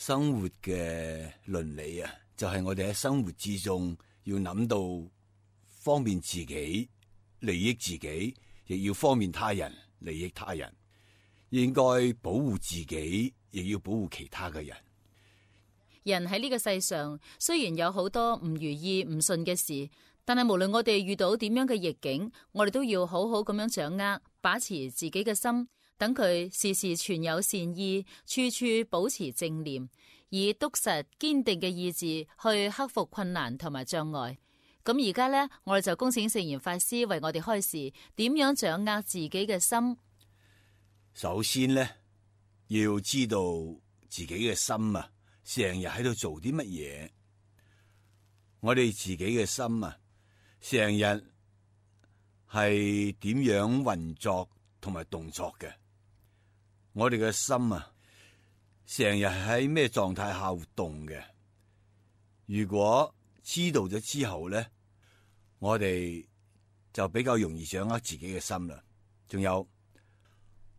生活嘅倫理啊，就係我哋喺生活之中要諗到方便自己、利益自己，亦要方便他人、利益他人。應該保護自己，亦要保護其他嘅人。人喺呢個世上，雖然有好多唔如意、唔順嘅事，但係無論我哋遇到點樣嘅逆境，我哋都要好好咁樣掌握、把持自己嘅心，等佢時時存有善意，處處保持正念，以篤實堅定嘅意志去克服困難同埋障礙。咁而家呢，我哋就恭請聖嚴法師為我哋開示，點樣掌握自己嘅心。首先呢，要知道自己嘅心啊，成日喺度做啲乜嘢。我哋自己嘅心啊，成日係點樣運作同埋動作嘅。我哋嘅心啊，成日喺咩狀態下活動嘅。如果知道咗之後咧，我哋就比較容易掌握自己嘅心啦。仲有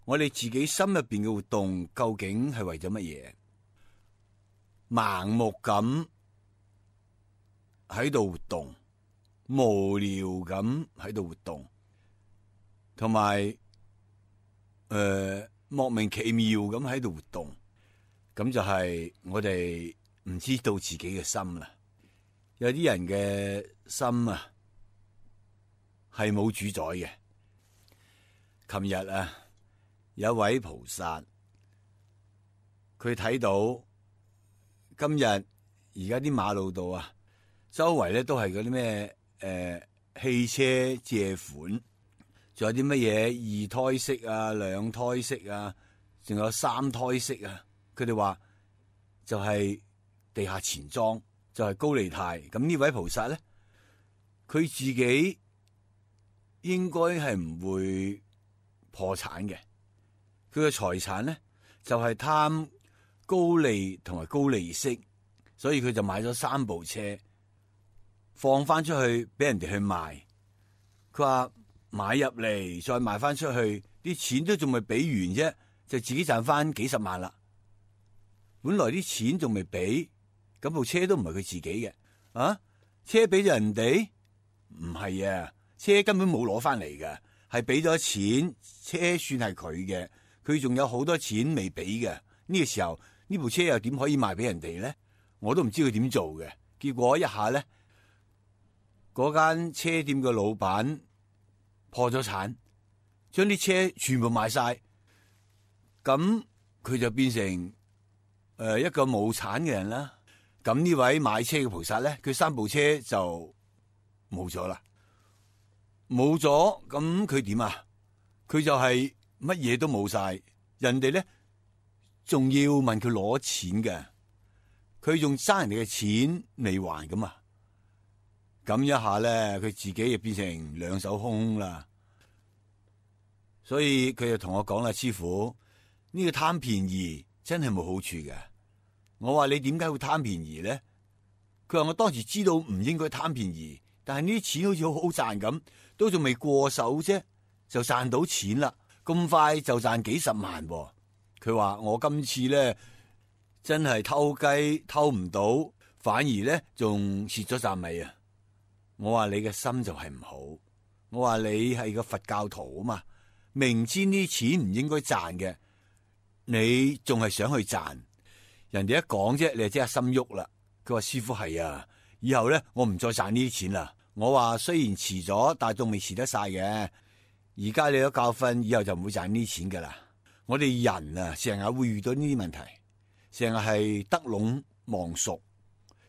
我哋自己心入邊嘅活動究竟係為咗乜嘢？盲目咁喺度活動，無聊咁喺度活動，同埋莫名其妙咁喺度活動，咁就係我哋唔知道自己嘅心啦。有啲人嘅心啊係冇主宰嘅。琴日啊，有一位菩薩，佢睇到今日而家啲馬路度啊，周圍咧都係嗰啲咩汽車借款，仲有啲乜嘢二胎式啊、兩胎式啊，仲有三胎式啊。佢哋話就係地下錢莊，就係高利貸。咁呢位菩薩咧，佢自己應該係唔會破產嘅。佢嘅財產咧就係貪高利同埋高利息，所以佢就買咗3部車，放翻出去俾人哋去賣。佢話買入嚟再賣翻出去，啲錢都仲未俾完啫，就自己賺翻幾十萬啦。本來啲錢仲未俾，咁部車都唔係佢自己嘅，啊，車俾咗人哋？唔係啊，車根本冇攞翻嚟嘅，係俾咗錢，車算係佢嘅，佢仲有好多錢未俾嘅。呢個時候呢部車又點可以賣俾人哋咧？我都唔知佢點做嘅。結果一下咧，嗰間車店嘅老闆破咗產，將啲車全部賣晒，咁佢就變成一個冇產嘅人啦。咁呢位買車嘅菩薩咧，佢3部車就冇咗啦，冇咗，咁佢點啊？佢就係乜嘢都冇晒，人哋咧仲要問佢攞錢嘅，佢仲爭人哋嘅錢未還咁啊！咁一下咧，佢自己就變成兩手空啦。所以佢就同我講啦，師父，呢個貪便宜真係冇好處嘅。我話你點解會貪便宜咧？佢話我當時知道唔應該貪便宜，但係呢啲錢好似好好賺咁，都仲未過手啫，就賺到錢啦，咁快就賺幾十萬喎。佢話我今次咧真係偷雞偷唔到，反而咧仲蝕咗啖味啊！我話你嘅心就係唔好，我話你係個佛教徒啊嘛，明知呢啲錢唔應該賺嘅，你仲係想去賺。人哋一講啫，你就即刻心喐啦。佢話師父係啊，以後咧我唔再賺呢啲錢啦。我話雖然遲咗，但係仲未遲得晒嘅。而家你有教訓，以後就唔會賺呢啲錢噶啦。我哋人啊，成日會遇到呢啲問題，成日係得隴望蜀，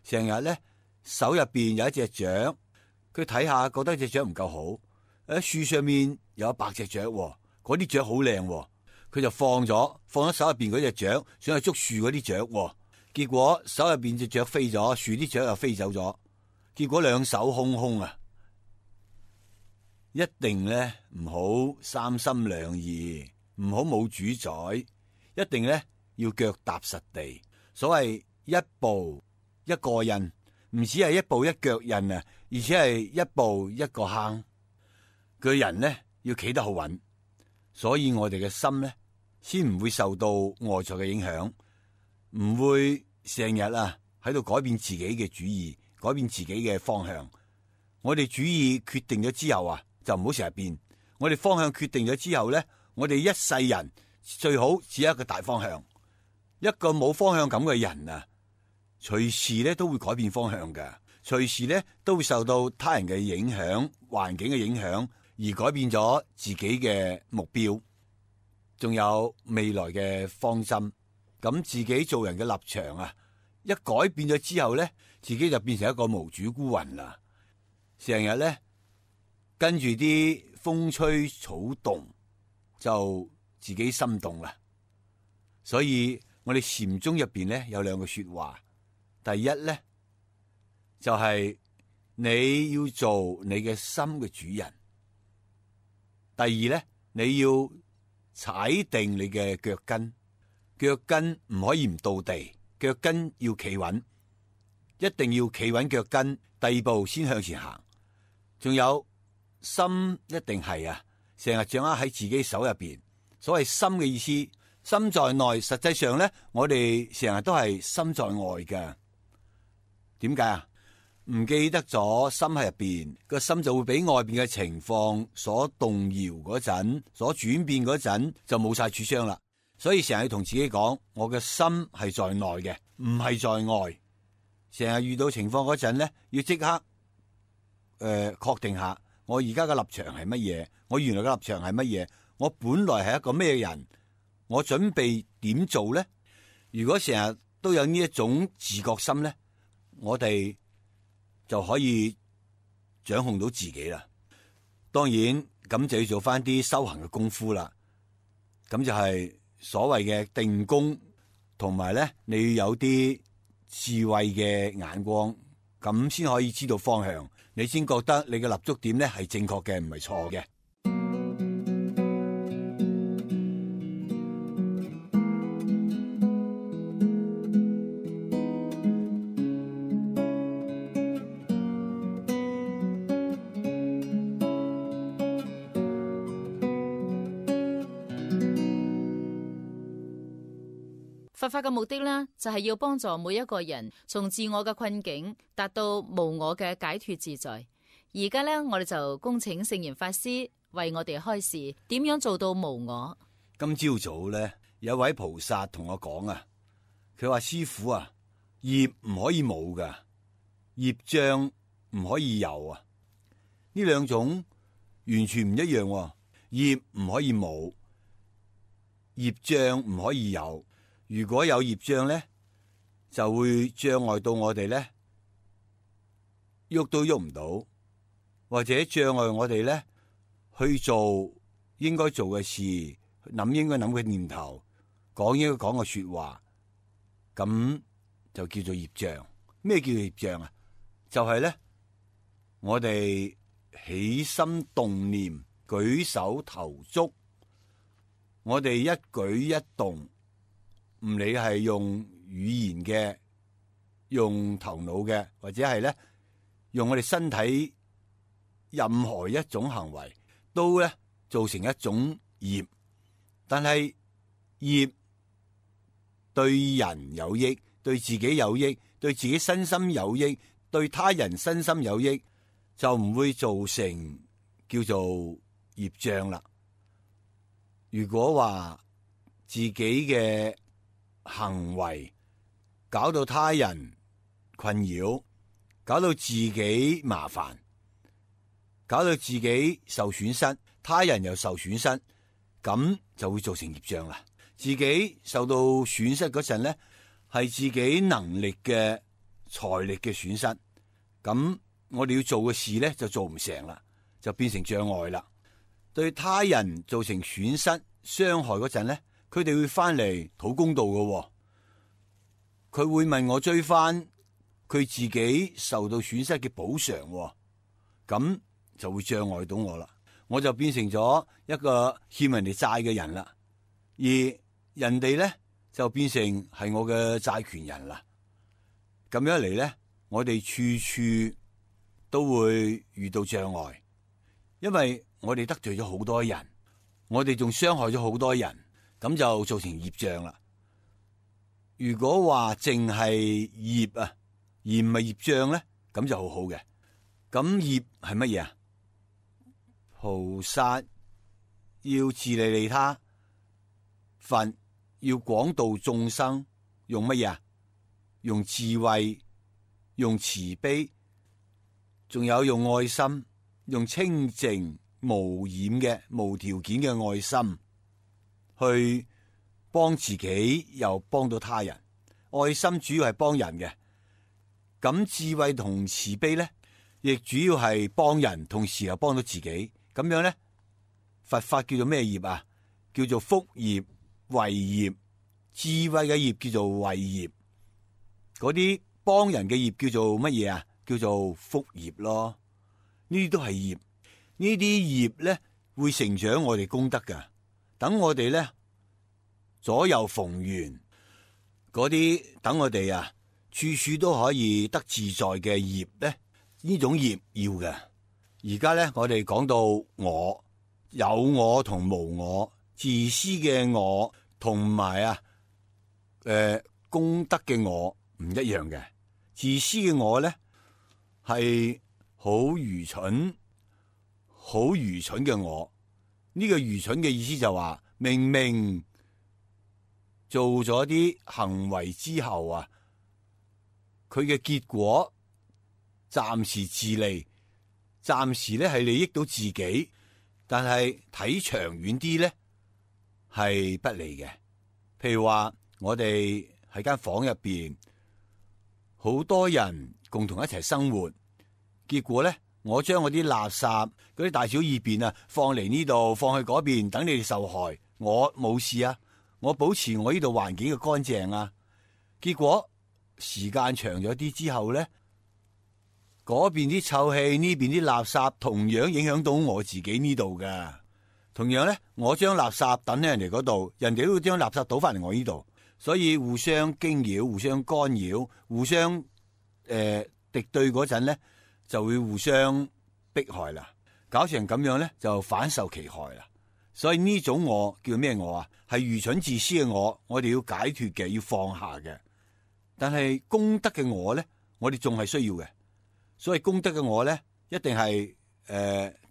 成日咧手入邊有一隻雀，佢睇下覺得隻雀唔夠好，喺樹上面有100隻雀，嗰啲雀好靚，佢就放咗手入邊嗰隻雀，想去捉樹嗰啲雀，結果手入邊隻雀飛咗，樹啲雀又飛走咗，結果兩手空空啊！一定咧唔好三心兩意，唔好冇主宰，一定咧要腳踏實地。所謂一步一個印，唔止係一步一腳印啊，而且係一步一個坑。個人咧要企得好穩，所以我哋嘅心咧先唔會受到外在嘅影響，唔會成日喺度改變自己嘅主意，改變自己嘅方向。我哋主意決定咗之後就唔好成日變。我哋方向決定咗之後咧，我哋一世人最好只有一個大方向。一個冇方向感嘅人隨時咧都會改變方向嘅，隨時咧都會受到他人嘅影響、環境嘅影響，而改變咗自己嘅目標，仲有未來嘅方針。咁自己做人嘅立場一改變咗之後咧，自己就變成一個無主孤魂啦。成日咧跟住啲風吹草動，就自己心動啦。所以我哋禪宗入邊咧有兩句說話，第一咧就係你要做你嘅心嘅主人，第二咧你要踩定你嘅腳跟，腳跟唔可以唔到地，腳跟要企穩，一定要企穩腳跟，第二步先向前行。仲有心一定係成日掌握喺自己手入邊。所謂心嘅意思，心在內，實際上咧我哋成日都係心在外嘅。點解唔記得咗心喺入邊，個心就會俾外邊嘅情況所動搖嗰陣，所轉變嗰陣就冇晒主張啦。所以成日要同自己講，我嘅心係在內嘅，唔係在外。成日遇到情況嗰陣咧，要即刻確定下我而家嘅立場係乜嘢，我原來嘅立場係乜嘢，我本來係一個咩人，我準備點做咧？如果成日都有呢一種自覺心咧，我哋就可以掌控到自己啦。當然咁就要做翻啲修行嘅功夫啦。咁就係所謂嘅定功，同埋咧你要有啲智慧嘅眼光，咁先可以知道方向，你先覺得你嘅立足點咧係正確嘅，唔係錯嘅。佛法嘅目的呢，就係要幫助每一個人從自我嘅困境達到無我嘅解脫自在。而家呢，我哋就恭請聖嚴法師為我哋開示點樣做到無我。今朝早咧，有位菩薩同我講佢話師父業唔可以冇噶，業障唔可以有呢兩種完全唔一樣。業唔可以冇，業障唔可以有。如果有業障咧，就會障礙到我哋咧，喐都喐唔到，或者障礙我哋咧去做應該做嘅事，諗應該諗嘅念頭，講應該講嘅說話，咁就叫做業障。咩叫業障就係咧，我哋起心動念、舉手投足，我哋一舉一動。唔理係用語言嘅、用頭腦嘅，或者係咧用我哋身體任何一種行為，都咧造成一種業。但係業對人有益，對自己有益，對自己身心有益，對他人身心有益，就唔會造成叫做業障啦。如果話自己嘅行為搞到他人困擾，搞到自己麻煩，搞到自己受損失，他人又受損失，咁就會造成業障啦。自己受到損失嗰陣咧，係自己能力嘅、財力嘅損失，咁我哋要做嘅事咧就做唔成啦，就變成障礙啦。對他人造成損失、傷害嗰陣咧，佢哋會翻嚟討公道嘅，佢會問我追翻佢自己受到損失嘅補償，咁就會障礙到我啦。我就變成咗一個欠人哋債嘅人啦，而人哋咧就變成係我嘅債權人啦。咁樣嚟咧，我哋處處都會遇到障礙，因為我哋得罪咗好多人，我哋仲傷害咗好多人。咁就造成業障啦。如果話淨係業啊，而唔係業障咧，咁就好好嘅。咁業係乜嘢啊？菩薩要自利利他，佛要廣度眾生，用乜嘢啊？用智慧，用慈悲，仲有用愛心，用清淨無染嘅無條件嘅愛心去幫自己，又幫到他人。愛心主要係幫人嘅，咁智慧同慈悲咧，亦主要係幫人，同時又幫到自己。咁樣咧，佛法叫做咩業啊？叫做福業、慧業。智慧嘅業叫做慧業，嗰啲幫人嘅業叫做乜嘢啊？叫做福業咯。呢啲都係業，呢啲業咧會成長我哋功德噶。等我哋咧左右逢源，嗰啲等我哋啊處處都可以得自在嘅業咧，呢種業要嘅。而家咧我哋講到我，有我同無我，自私嘅我同埋功德嘅我唔一樣嘅。自私嘅我咧係好愚蠢嘅我。呢個愚蠢嘅意思就話，明明做咗啲行為之後啊，佢嘅結果暫時自利，暫時咧係利益到自己，但係睇長遠啲咧係不利嘅。譬如話我哋喺間房入邊，好多人共同一齊生活，結果咧我將我啲垃圾嗰啲大小二便啊放嚟呢度，放去嗰邊，等你哋受害。我冇事啊，我保持我呢度環境嘅乾淨啊。結果時間長咗啲之後咧，嗰邊啲臭氣，呢邊啲垃圾同樣影響到我自己呢度噶。同樣咧，我將垃圾抌喺人哋嗰度，人哋都會將垃圾倒翻嚟我呢度，所以互相驚擾、互相干擾、互相敵對嗰陣咧，就會互相迫害啦。搞成咁樣咧，就反受其害啦。所以呢種我叫咩我啊？係愚蠢自私嘅我，我哋要解脫嘅，要放下嘅。但係功德嘅我咧，我哋仲係需要嘅。所以功德嘅我咧，一定係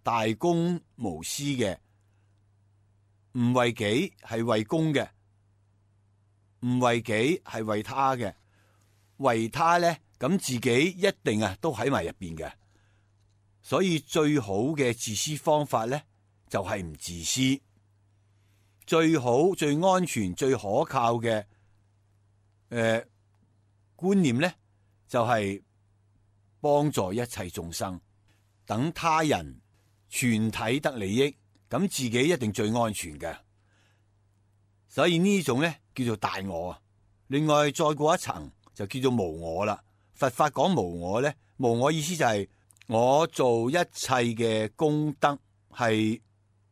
大公無私嘅，唔為己係為公嘅，唔為己係為他嘅。為他咧，咁自己一定都喺埋入邊嘅。所以最好嘅自私方法咧，就係唔自私。最好、最安全、最可靠嘅觀念咧，就係幫助一切眾生，等他人全體得利益，咁自己一定最安全嘅。所以呢種咧叫做大我啊。另外再過一層就叫做無我啦。佛法講無我咧，無我意思就係我做一切嘅功德係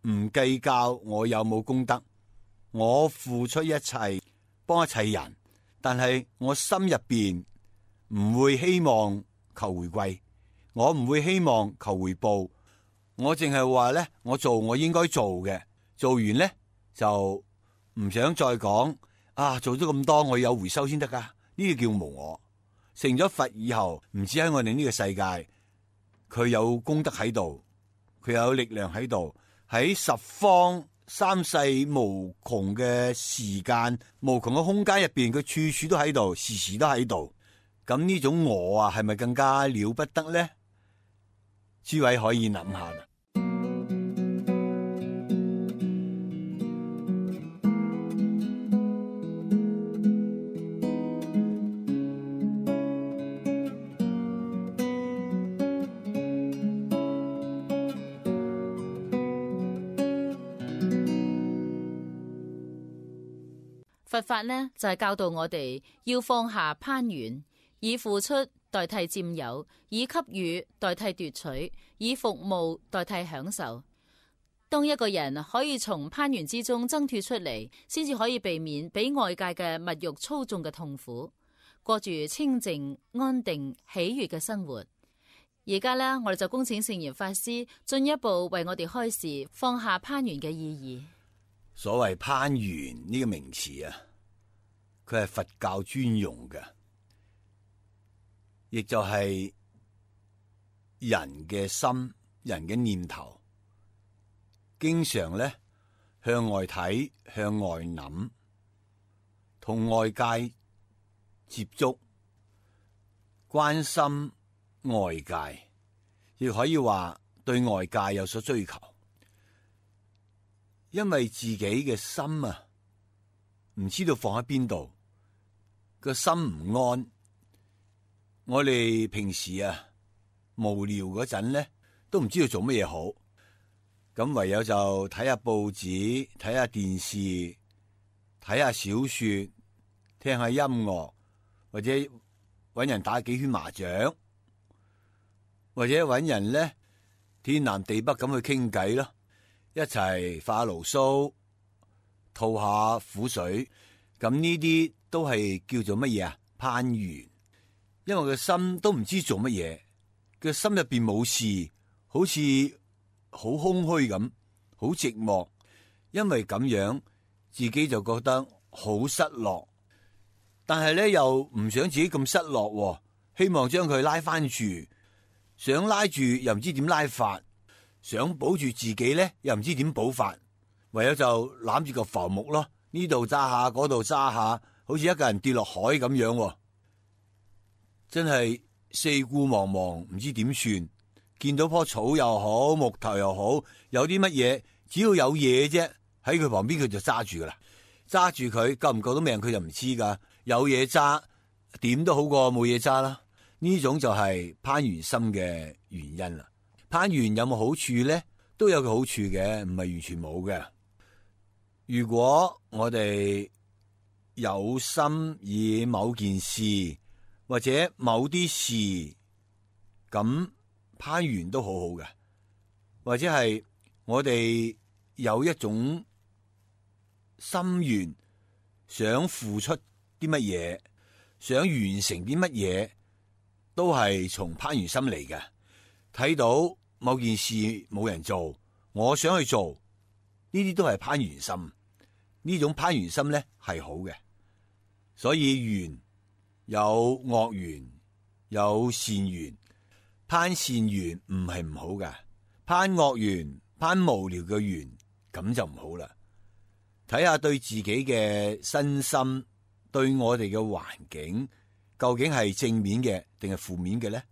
唔計較我有冇功德，我付出一切幫一切人，但係我心入邊唔會希望求回饋，我唔會希望求回報，我淨係話咧，我做我應該做嘅，做完咧就唔想再講做咗咁多我有回收先得噶。呢個叫無我。成咗佛以後，唔止喺我哋呢個世界，佢有功德喺度，佢有力量喺度，喺十方三世無窮嘅時間、無窮嘅空間入邊，佢處處都喺度，時時都喺度。咁呢種我啊，係咪更加了不得咧？諸位可以諗下啦。佛法呢，就係教導我哋要放下攀緣，以付出代替佔有，以給予代替奪取，以服務代替享受。當一個人可以從攀緣之中掙脫出嚟，先至可以避免俾外界嘅物欲操縱嘅痛苦，過住清靜、安定、喜悅嘅生活。而家呢，我哋就恭請聖嚴法師進一步為我哋開示放下攀緣嘅意義。所謂攀緣呢個名詞啊，佢係佛教專用嘅，亦就係人嘅心、人嘅念頭，經常咧向外睇、向外諗，同外界接觸、關心外界，亦可以話對外界有所追求。因為自己嘅心啊，唔知道放喺邊度，個心唔安。我哋平時啊無聊嗰陣咧，都唔知道做乜嘢好，咁唯有就睇下報紙、睇下電視、睇下小說、聽下音樂，或者搵人打幾圈麻雀，或者搵人咧天南地北咁去傾偈咯。一齊發下牢騷，吐下苦水，咁呢啲都係叫做乜嘢啊？攀緣。因為個心都唔知做乜嘢，個心入邊冇事，好似好空虛咁，好寂寞。因為咁樣，自己就覺得好失落，但係咧又唔想自己咁失落，希望將佢拉翻住，想拉住又唔知點拉法。想保住自己咧，又唔知點保法，唯有就攬住個浮木咯，呢度揸下，嗰度揸下，好似一個人跌落海咁樣，真係四顧茫茫，唔知點算。見到棵草又好，木頭又好，有啲乜嘢，只要有嘢啫，喺佢旁邊佢就揸住噶啦，揸住佢救唔救到命佢就唔知噶。有嘢揸，點都好過冇嘢揸啦。呢種就係攀緣心嘅原因啦。攀緣有冇好處咧？都有個好處嘅，唔係完全冇嘅。如果我哋有心以某件事或者某啲事，咁攀緣都好好嘅。或者係我哋有一種心願，想付出啲乜嘢，想完成啲乜嘢，都係從攀緣心嚟嘅。睇到某件事冇人做，我想去做，呢啲都係攀緣心。呢種攀緣心咧係好嘅，所以緣有惡緣，有善緣。攀善緣唔係唔好嘅，攀惡緣、攀無聊嘅緣，咁就唔好啦。睇下對自己嘅身心，對我哋嘅環境，究竟係正面嘅定係負面嘅咧？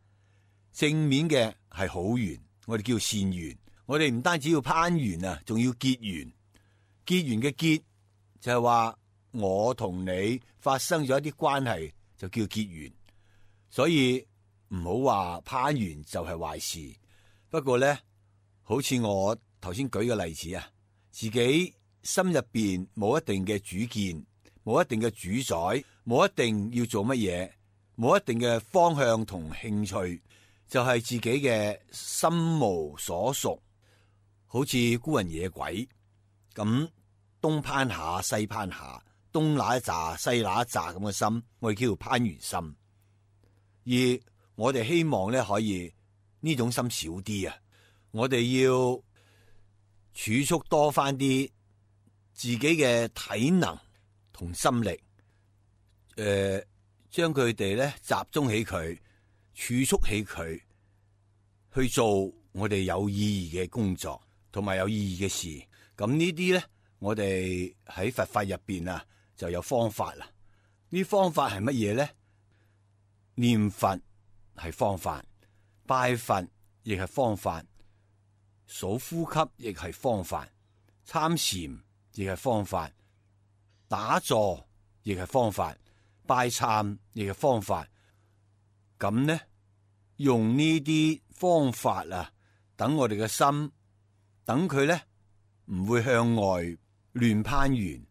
正面嘅係好緣，我哋叫善緣。我哋唔單止要攀緣啊，仲要結緣。結緣嘅結就係話我同你發生咗一啲關係，就叫結緣。所以唔好話攀緣就係壞事。不過咧，好似我頭先舉嘅例子啊，自己心入邊冇一定嘅主見，冇一定嘅主宰，冇一定要做乜嘢，冇一定嘅方向同興趣，就係自己嘅心無所屬，好似孤魂野鬼咁，東攀下西攀下，東那一紮西那一紮咁嘅心，我哋叫做攀緣心。而我哋希望咧可以呢種心少啲啊，我哋要儲蓄多翻啲自己嘅體能同心力，將佢哋咧集中起佢，儲蓄起佢，去做我哋有意義嘅工作同埋有意義嘅事。咁呢啲咧，我哋喺佛法入邊啊就有方法啦。呢方法係乜嘢咧？念佛係方法，拜佛亦係方法，數呼吸亦係方法，參禪亦係方法，打坐亦係方法，拜懺亦係方法。咁呢，用呢啲方法啊，等我哋嘅心，等佢咧唔會向外亂攀緣，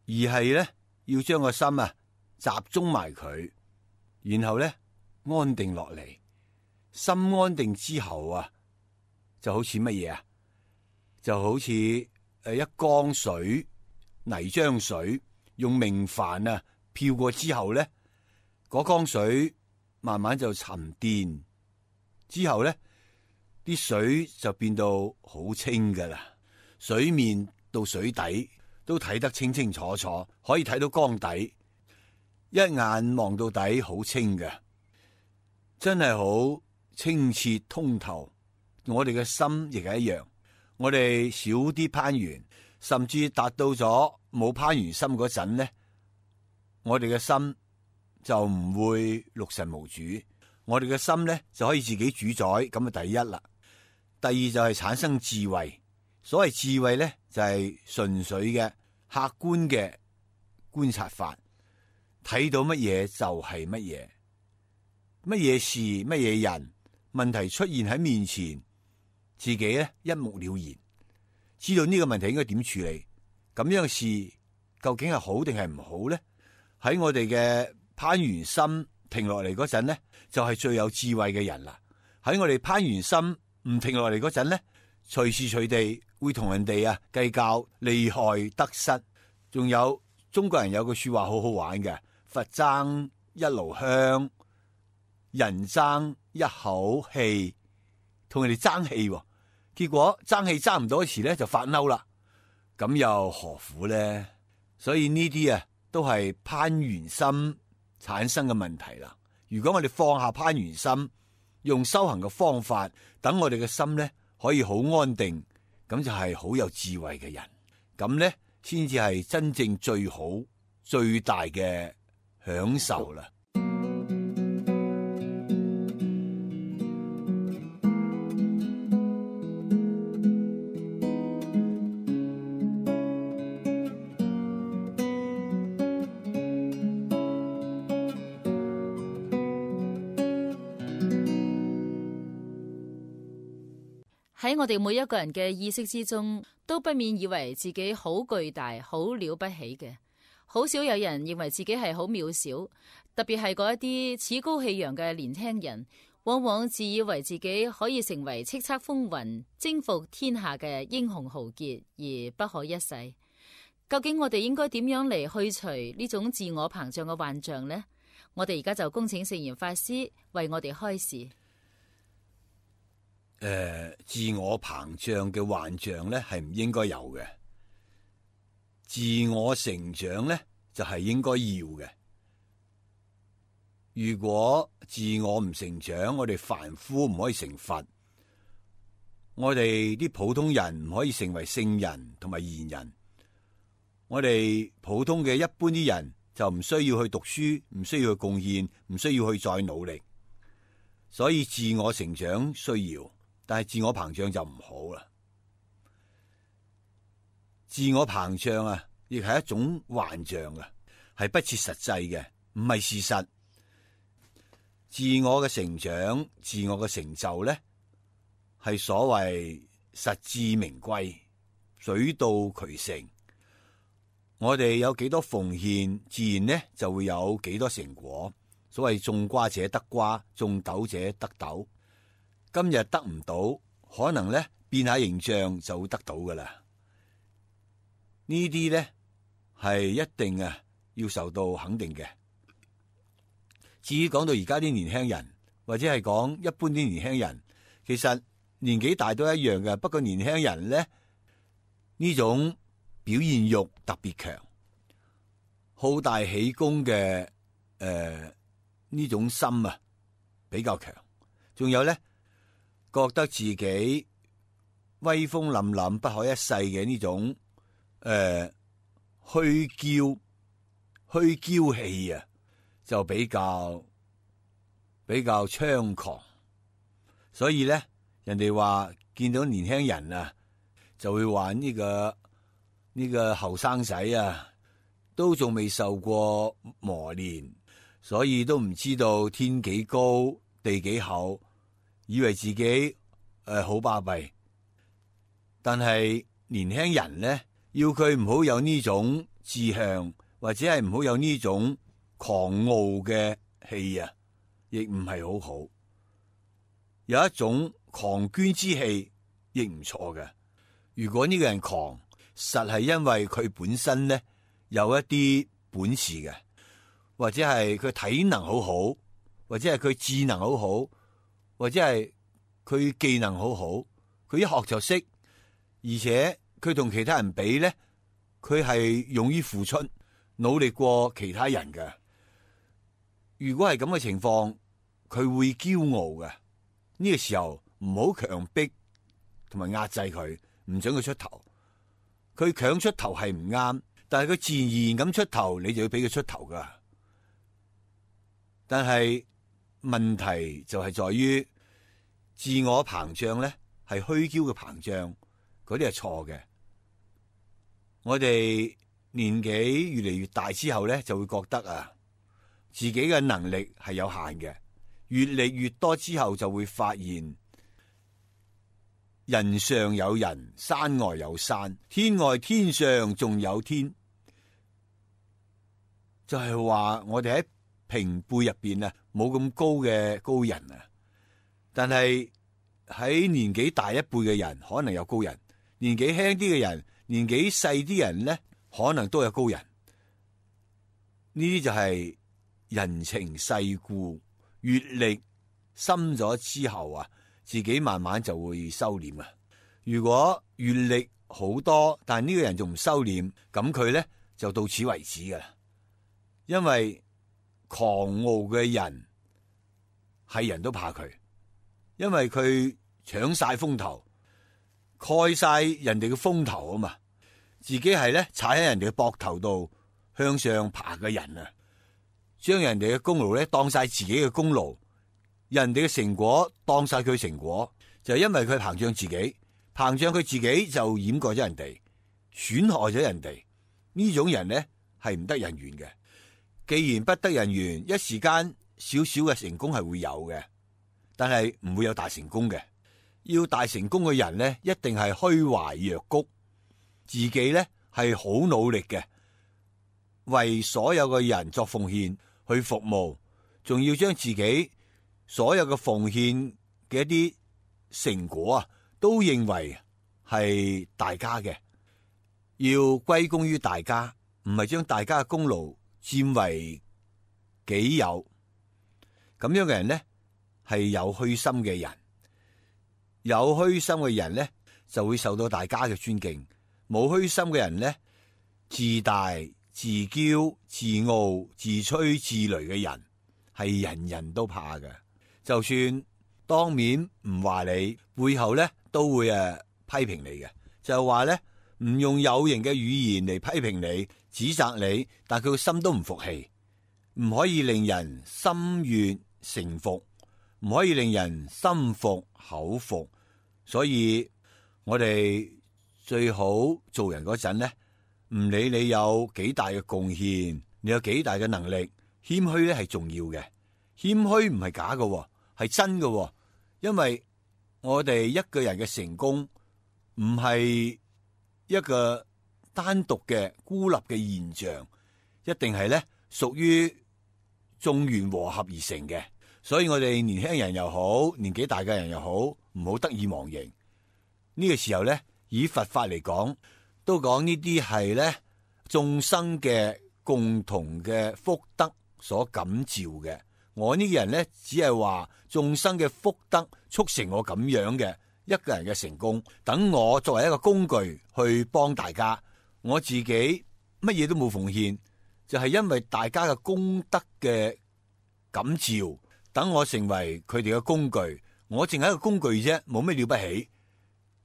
而係咧要將個心啊集中埋佢，然後咧安定落嚟。心安定之後啊，就好似乜嘢啊？就好似一缸水、泥漿水，用明矾啊漂過之後咧，嗰缸水慢慢就沉澱，之後咧啲水就變到好清噶啦，水面到水底都睇得清清楚楚，可以睇到缸底，一眼望到底好清嘅，真係好清澈通透。我哋嘅心亦係一樣，我哋少啲攀緣，甚至達到咗冇攀緣心嗰陣呢，我哋嘅心就唔會六神無主，我哋嘅心呢就可以自己主宰，咁啊第一啦。第二就係產生智慧，所謂智慧呢，就係純粹嘅客觀嘅觀察法，睇到乜嘢就係乜嘢，乜嘢事乜嘢人，問題出現喺面前，自己咧一目了然，知道呢個問題應該點處理。咁樣嘅事究竟係好定係唔好咧？喺我哋嘅攀緣心停落嚟嗰陣咧，就係最有智慧嘅人啦。喺我哋攀緣心唔停落嚟嗰陣咧，隨時隨地會同人哋計較利害得失。仲有中國人有句說話好好玩嘅，佛爭一爐香，人爭一口氣，同人哋爭氣，結果爭氣爭唔到時咧就發嬲啦，咁又何苦咧？所以呢啲都係攀緣心產生嘅問題啦。如果我哋放下攀緣心，用修行嘅方法，等我哋嘅心咧可以好安定，咁就係好有智慧嘅人，咁咧先至係真正最好最大嘅享受啦。喺我哋每一個人嘅意識之中，都不免以為自己好巨大、好了不起嘅。好少有人認為自己係好渺小，特別係嗰一啲趾高氣揚嘅年輕人，往往自以為自己可以成為叱咤風雲、征服天下嘅英雄豪傑，而不可一世。究竟我哋應該點樣嚟去除呢種自我膨脹嘅幻象呢？我哋而家就恭請聖嚴法師為我哋開示。自我膨脹嘅幻象咧係唔應該有嘅，自我成長咧就係應該要嘅。如果自我唔成長，我哋凡夫唔可以成佛，我哋啲普通人唔可以成為聖人同埋賢人，我哋普通嘅一般啲人就唔需要去讀書，唔需要去貢獻，唔需要去再努力。所以自我成長需要，但係自我膨脹就唔好啦。自我膨脹亦係一種幻象係不切實際嘅，唔係事實。自我嘅成長、自我嘅成就咧，係所謂實至名歸、水到渠成。我哋有幾多奉獻，自然咧就會有幾多成果。所謂種瓜者得瓜，種豆者得豆。今日得唔到，可能咧變下形象就會得到噶啦。呢啲咧係一定要受到肯定嘅。至於講到而家啲年輕人，或者係講一般啲年輕人，其實年紀大都一樣嘅。不過年輕人咧呢種表現欲特別強，好大喜功嘅呢種心比較強，仲有咧覺得自己威風凜凜不可一世嘅呢種虛嬌氣就比較猖狂。所以咧人哋話見到年輕人就會話呢個後生仔都仲未受過磨練，所以都唔知道天幾高地幾厚，以為自己好巴閉。但係年輕人咧，要佢唔好有呢種志向，或者係唔好有呢種狂傲嘅氣亦唔係好好。有一種狂狷之氣亦唔錯嘅。如果呢個人狂，實係因為佢本身咧有一啲本事嘅，或者係佢體能好好，或者係佢智能好好，或者係佢技能好好，佢一學就識，而且佢同其他人比咧，佢係勇於付出，努力過其他人嘅。如果係咁嘅情況，佢會驕傲嘅。呢個時候唔好強迫同埋壓制佢，唔准佢出頭。佢強出頭係唔啱，但係佢自然咁出頭，你就要俾佢出頭噶。但係問題就係在於自我膨脹咧，係虛驕嘅膨脹，嗰啲係錯嘅。我哋年紀越嚟越大之後咧，就會覺得啊，自己嘅能力係有限嘅。越嚟越多之後，就會發現人上有人，山外有山，天外天上仲有天。就係話我哋喺平輩入邊啊，冇咁高嘅高人啊。但係喺年紀大一輩嘅人，可能有高人；年紀輕啲嘅人，年紀細啲人咧，可能都有高人。呢啲就係人情世故。閱歷深咗之後啊，自己慢慢就會收斂啊。如果閱歷好多，但係呢個人仲唔收斂，咁佢咧就到此為止噶啦。因為狂傲嘅人係人都怕佢，因為佢搶晒風頭，蓋晒人哋嘅風頭啊嘛。自己係咧踩喺人哋嘅膊頭度向上爬嘅人啊。將人哋嘅功勞咧當晒自己嘅功勞，人哋嘅成果當晒佢成果，就係因為佢膨脹自己，膨脹佢自己就掩蓋咗人哋，損害咗人哋。呢種人咧係唔得人緣嘅。既然不得人緣，一時間少少嘅成功係會有嘅，但係唔會有大成功嘅。要大成功嘅人咧，一定係虛懷若谷，自己咧係好努力嘅，為所有嘅人作奉獻。去服務，仲要將自己所有嘅奉獻嘅一啲成果啊，都認為係大家嘅，要歸功於大家，唔係將大家嘅功勞佔為己有。咁樣嘅人咧，係有虛心嘅人，有虛心嘅人咧就會受到大家嘅尊敬。冇虛心嘅人咧，自大、自驕、自傲、自吹自擂嘅人係人人都怕嘅。就算當面唔話你，背後咧都會批評你嘅。就係話咧，唔用有形嘅語言嚟批評你、指責你，但佢個心都唔服氣，唔可以令人心悅誠服，唔可以令人心服口服。所以我哋最好做人嗰陣咧，唔理你有幾大嘅貢獻，你有幾大嘅能力，謙虛咧係重要嘅。謙虛唔係假嘅，係真嘅。因為我哋一個人嘅成功唔係一個單獨嘅孤立嘅現象，一定係咧屬於眾緣和合而成嘅。所以我哋年輕人又好，年紀大嘅人又好，唔好得意忘形。呢個時候咧，以佛法嚟講，都講呢啲係咧眾生嘅共同嘅福德所感召嘅。我呢個人咧，只係話眾生嘅福德促成我咁樣嘅一個人嘅成功。等我作為一個工具去幫大家，我自己乜嘢都冇奉獻，就係因為大家嘅功德嘅感召，等我成為佢哋嘅工具。我淨係一個工具啫，冇咩了不起。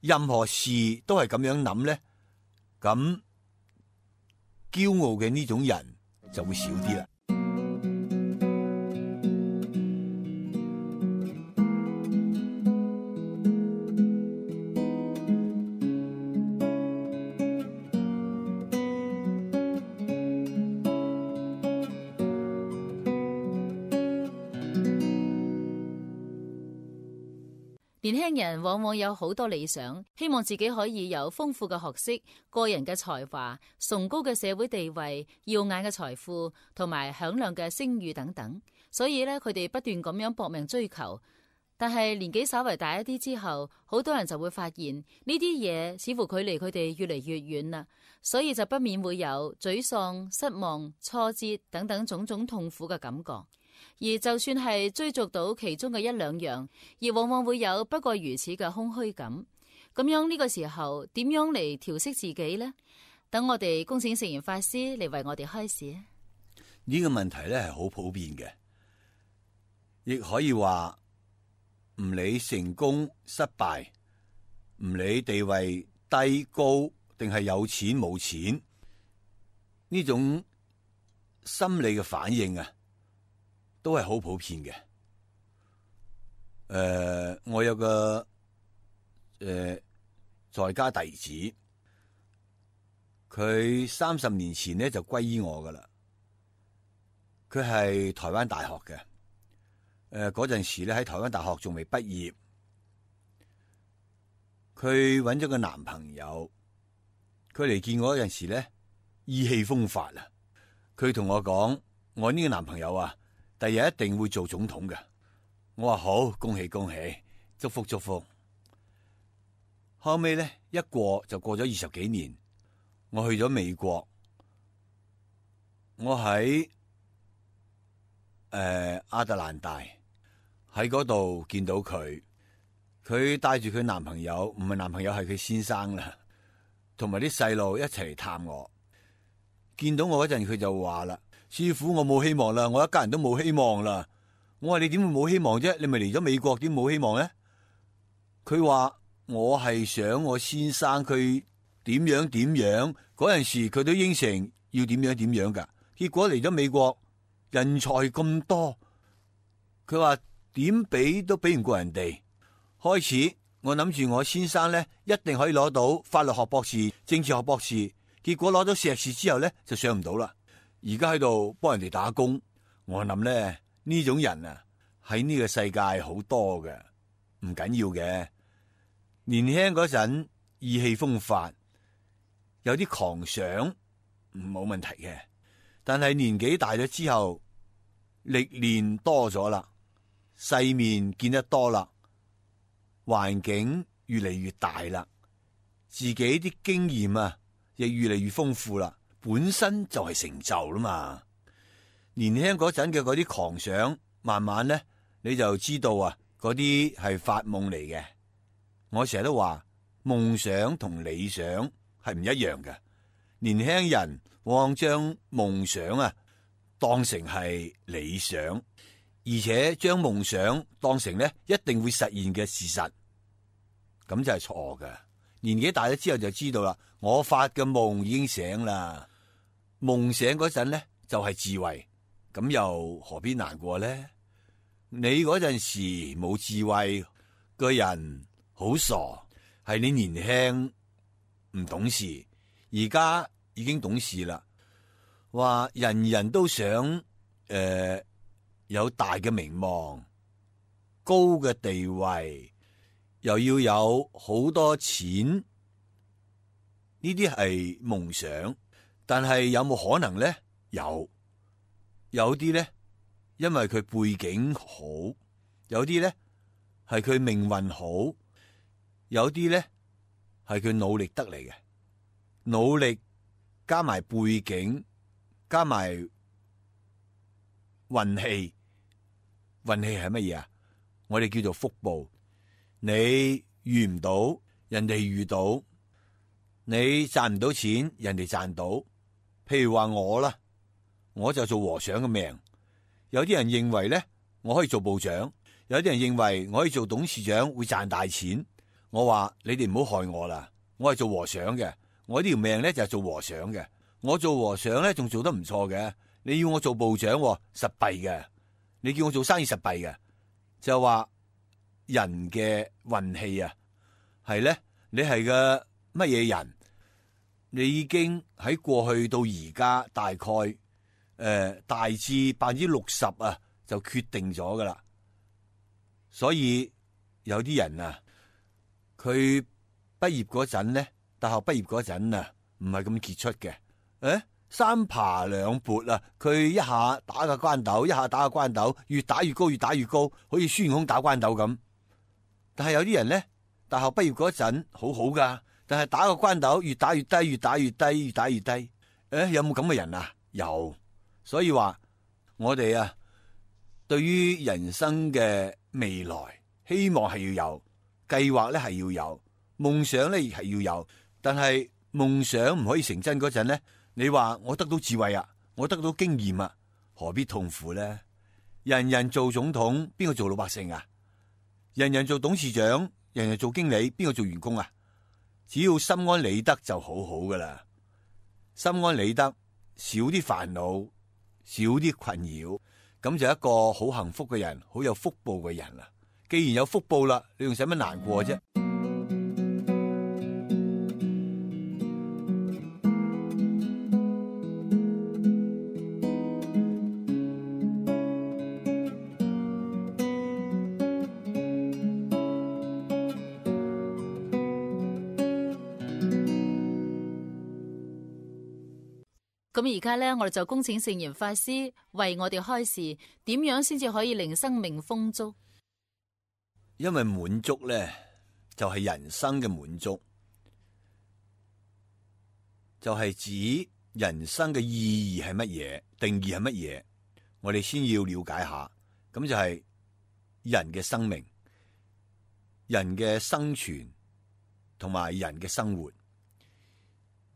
任何事都係咁樣諗咧，咁驕傲嘅呢種人就會少啲啦。年輕人往往有好多理想，希望自己可以有豐富嘅學識、個人嘅才華、崇高嘅社會地位、耀眼嘅財富同埋響亮嘅聲譽等等。所以咧，佢哋不斷咁樣搏命追求。但係年紀稍為大一啲之後，好多人就會發現呢啲嘢似乎距離佢哋越嚟越遠啦，所以就不免會有沮喪、失望、挫折等等種種痛苦嘅感覺。而就算係追逐到其中嘅一兩樣，亦往往會有不過如此嘅空虛感。咁樣呢個時候，點樣嚟調適自己呢？等我哋恭請聖嚴法師嚟為我哋開示。呢個問題咧係好普遍嘅，亦可以話唔理成功失敗，唔理地位低高定係有錢冇錢，呢種心理嘅反應啊，都係好普遍嘅。我有個在家弟子，佢30年前咧就皈依我噶啦。佢係台灣大學嘅，嗰陣時咧喺台灣大學仲未畢業。佢揾咗個男朋友，佢嚟見我嗰陣時咧意氣風發啊！佢同我講：我呢個男朋友啊，第日一定會做總統嘅。我話好，恭喜恭喜，祝福祝福。後尾咧一過就過咗20幾年，我去咗美國，我喺亞特蘭大喺嗰度見到佢，佢帶住佢男朋友，唔係男朋友係佢先生啦，同埋啲細路一齊嚟探我。見到我嗰陣，佢就話啦：師傅，我冇希望啦，我一家人都冇希望啦。我話你點會冇希望啫？你咪嚟咗美國，點冇希望咧？佢話我係想我先生佢點樣點樣，嗰陣時佢都應承要點樣點樣噶。結果嚟咗美國，人才咁多，佢話點俾都俾唔過人哋。開始我諗住我先生咧一定可以攞到法律學博士、政治學博士，結果攞咗碩士之後咧就上唔到啦。而家喺度幫人哋打工，我諗咧呢種人啊喺呢個世界好多嘅，唔緊要嘅。年輕嗰陣意氣風發，有啲狂想冇問題嘅，但係年紀大咗之後，歷練多咗啦，世面見得多啦，環境越嚟越大啦，自己啲經驗啊亦越嚟越豐富啦，本身就係成就啦嘛。年輕嗰陣嘅嗰啲狂想，慢慢咧你就知道啊，嗰啲係發夢嚟嘅。我成日都話夢想同理想係唔一樣嘅。年輕人往往將夢想啊當成係理想，而且將夢想當成咧一定會實現嘅事實，咁就係錯嘅。年紀大咗之後就知道啦，我發嘅夢已經醒啦。夢醒嗰陣咧就係智慧，咁又何必難過咧？你嗰陣時冇智慧，個人好傻，係你年輕唔懂事，而家已經懂事啦。話人人都想有大嘅名望、高嘅地位，又要有好多錢，呢啲係夢想。但係有冇可能咧？有啲咧，因為佢背景好；有啲咧係佢命運好；有啲咧係佢努力得嚟嘅。努力加埋背景，加埋運氣。運氣係乜嘢啊？我哋叫做福報。你遇唔到，人哋遇到；你賺唔到錢，人哋賺到。譬如話我啦，我就做和尚嘅命。有啲人認為咧，我可以做部長；有啲人認為我可以做董事長，會賺大錢。我話你哋唔好害我啦，我係做和尚嘅，我呢條命咧就係做和尚嘅。我做和尚咧仲做得唔錯嘅。你要我做部長，實弊嘅。你叫我做生意實弊嘅，就話人嘅運氣啊，係咧，你係個乜嘢人？你已經喺過去到而家大概大致60%啊，就決定咗噶啦。所以有啲人啊，佢畢業嗰陣咧，大學畢業嗰陣啊，唔係咁傑出嘅。三爬兩撥啊，佢一下打個關斗，一下打個關斗，越打越高，越打越高，好似孫悟空打關斗咁。但係有啲人咧，大學畢業嗰陣好好噶。但係打個關斗越打越低，越打越低，越打越低。有冇咁嘅人啊？有。所以話我哋啊，對於人生嘅未來，希望係要有計劃咧，係要有夢想咧，亦係要有。但係夢想唔可以成真嗰陣咧，你話我得到智慧啊，我得到經驗啊，何必痛苦咧？人人做總統，邊個做老百姓啊？人人做董事長，人人做經理，邊個做員工啊？只要心安理得就好好噶啦，心安理得，少啲煩惱，少啲困擾，咁就一個好幸福嘅人，好有福報嘅人啦。既然有福報啦，你仲使乜難過啫？咁而家咧，我哋就恭請聖嚴法師為我哋開示，點樣先至可以令生命豐足？因為滿足咧，就係人生嘅滿足，就係指人生嘅意義係乜嘢，定義係乜嘢，我哋先要了解下。咁就係人嘅生命、人嘅生存同埋人嘅生活。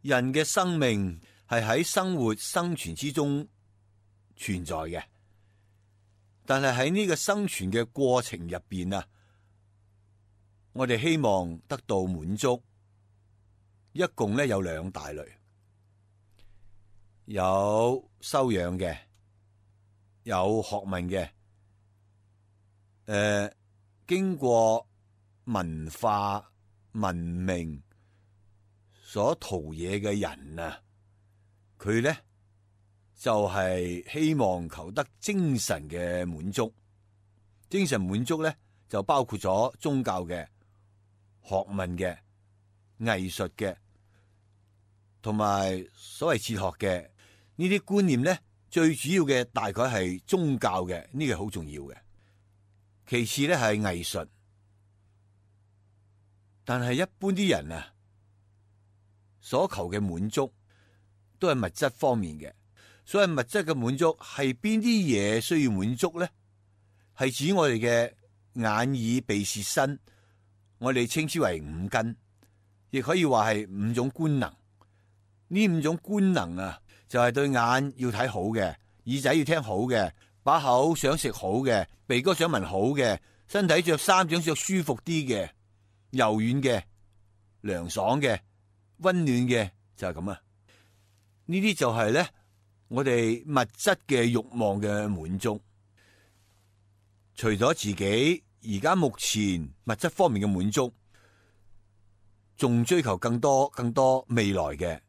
人嘅生命係喺生活生存之中存在嘅，但係喺呢個生存嘅過程入邊啊，我哋希望得到滿足，一共咧有兩大類，有修養嘅，有學問嘅，經過文化文明所陶冶嘅人啊，佢咧就係希望求得精神嘅滿足。精神滿足咧就包括咗宗教嘅、學問嘅、藝術嘅，同埋所謂哲學嘅呢啲觀念咧，最主要嘅大概係宗教嘅，呢個好重要嘅。其次咧係藝術，但係一般啲人啊，所求嘅滿足都係物質方面嘅。所謂物質嘅滿足係邊啲嘢需要滿足咧？係指我哋嘅眼耳鼻舌身，我哋稱之為五根，亦可以話係五種官能。呢五種官能啊，就係對眼要睇好嘅，耳仔要聽好嘅，把口想食好嘅，鼻哥想聞好嘅，身體着衫想着舒服啲嘅，柔軟嘅、涼爽嘅、溫暖嘅，就係咁啊！呢啲就係咧我哋物質嘅慾望嘅滿足。除咗自己而家目前物質方面嘅滿足，仲追求更多未來嘅、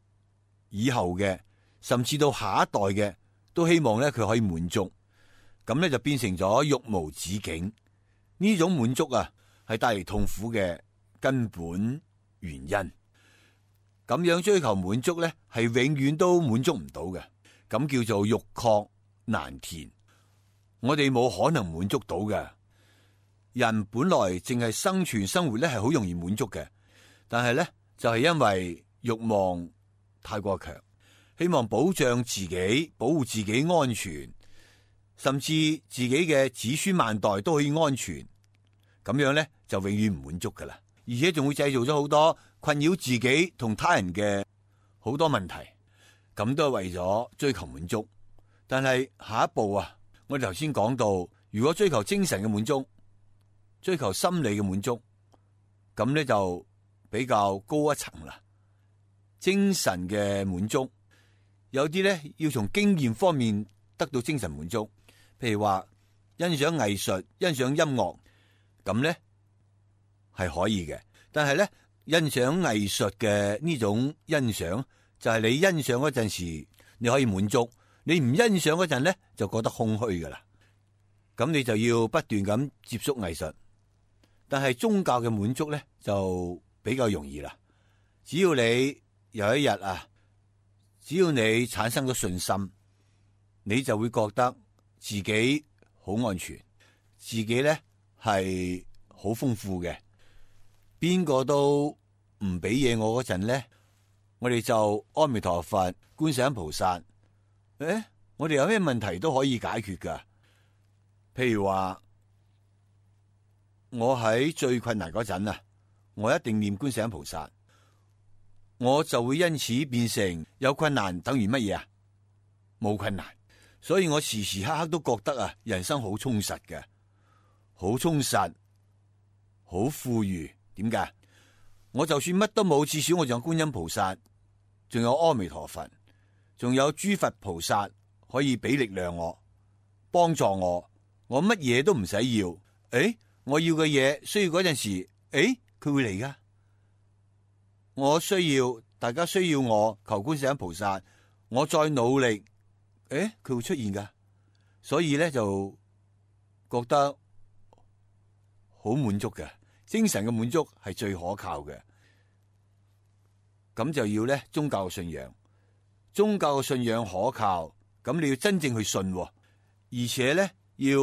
以後嘅，甚至到下一代嘅，都希望咧佢可以滿足。咁咧就變成咗欲無止境。呢種滿足啊，係帶嚟痛苦嘅根本原因。咁樣追求滿足咧，係永遠都滿足唔到嘅。咁叫做欲壑難填。我哋冇可能滿足到嘅。人本來淨係生存生活咧，係好容易滿足嘅。但係咧，就係因為欲望太過強，希望保障自己、保護自己安全，甚至自己嘅子孫萬代都可以安全。咁樣咧，就永遠唔滿足噶啦。而且仲會製造咗好多困擾自己同他人嘅好多問題。咁都係為咗追求滿足。但係下一步啊，我哋頭先講到，如果追求精神嘅滿足，追求心理嘅滿足，咁咧就比較高一層啦。精神嘅滿足，有啲咧要從經驗方面得到精神滿足，譬如話欣賞藝術、欣賞音樂，咁咧係可以嘅。但係咧，欣賞藝術嘅呢種欣賞，就係你欣賞嗰陣時你可以滿足，你唔欣賞嗰陣咧就覺得空虛噶啦。咁你就要不斷咁接觸藝術。但係宗教嘅滿足咧就比較容易啦。只要你有一日啊，只要你產生咗信心，你就會覺得自己好安全，自己咧係好豐富嘅。邊個都唔俾嘢我嗰陣咧，我哋就阿彌陀佛、觀世音菩薩。我哋有咩問題都可以解決噶。譬如話，我喺最困難嗰陣啊，我一定念觀世音菩薩，我就會因此變成有困難等於乜嘢啊？冇困難。所以我時時刻刻都覺得啊，人生好充實嘅，好充實，好富裕。點解？我就算乜都冇，至少我仲有觀音菩薩，仲有阿彌陀佛，仲有諸佛菩薩可以俾力量我，幫助我。我乜嘢都唔使要，我要嘅嘢需要嗰陣時，佢會嚟噶。我需要，大家需要我求觀世音菩薩，我再努力，佢會出現噶。所以咧就覺得好滿足嘅，精神嘅滿足係最可靠嘅。咁就要咧宗教嘅信仰，宗教嘅信仰可靠，咁你要真正去信，而且咧要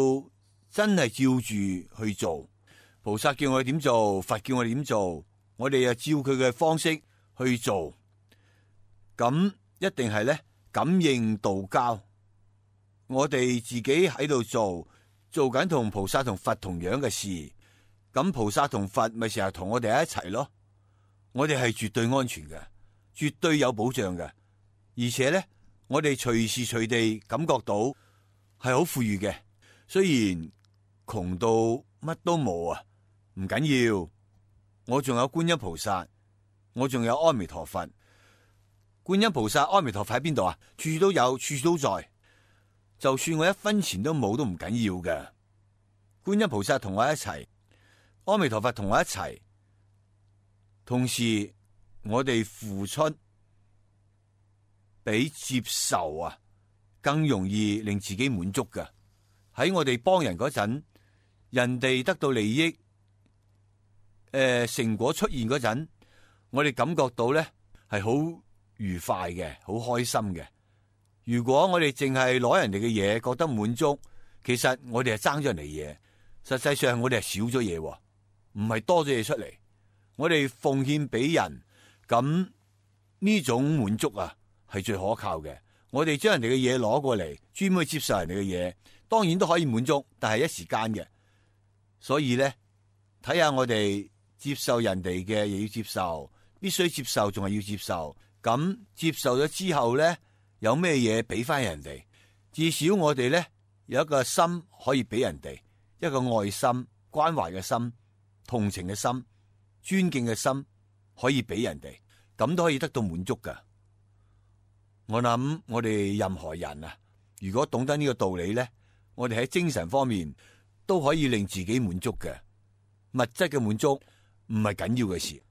真係照住去做。菩薩叫我哋點做，佛叫我哋點做，我哋又照佢嘅方式去做，咁一定係咧感應道交。我哋自己喺度做緊同菩薩同佛同樣嘅事，咁菩薩同佛咪成日同我哋一齊咯。我哋係絕對安全嘅，絕對有保障嘅，而且咧我哋隨時隨地感覺到係好富裕嘅。雖然窮到乜都冇啊，唔緊要，我仲有觀音菩薩，我仲有阿彌陀佛。觀音菩薩、阿彌陀佛喺邊度啊？處處都有，處處都在。就算我一分錢都冇都唔緊要嘅。觀音菩薩同我一齊，阿彌陀佛同我一齊，同時我哋付出比接受啊更容易令自己滿足嘅。喺我哋幫人嗰陣，人哋得到利益，成果出現嗰陣，我哋感覺到咧係好愉快嘅，好開心嘅。如果我哋淨係攞人哋嘅嘢覺得滿足，其實我哋係爭咗人哋嘢，實際上我哋係少咗嘢，唔係多咗嘢出嚟。我哋奉獻俾人，咁呢種滿足啊係最可靠嘅。我哋將人哋嘅嘢攞過嚟，專門去接受人哋嘅嘢，當然都可以滿足，但係一時間嘅。所以咧，睇下我哋接受人哋嘅，亦要接受，必須接受，仲係要接受。咁接受咗之後咧，有咩嘢俾翻人哋？至少我哋咧有一個心可以俾人哋，一個愛心、關懷嘅心、同情嘅心、尊敬嘅心，可以俾人哋，咁都可以得到滿足噶。我諗我哋任何人啊，如果懂得呢個道理咧，我哋喺精神方面都可以令自己滿足嘅。物質嘅滿足唔係緊要嘅事。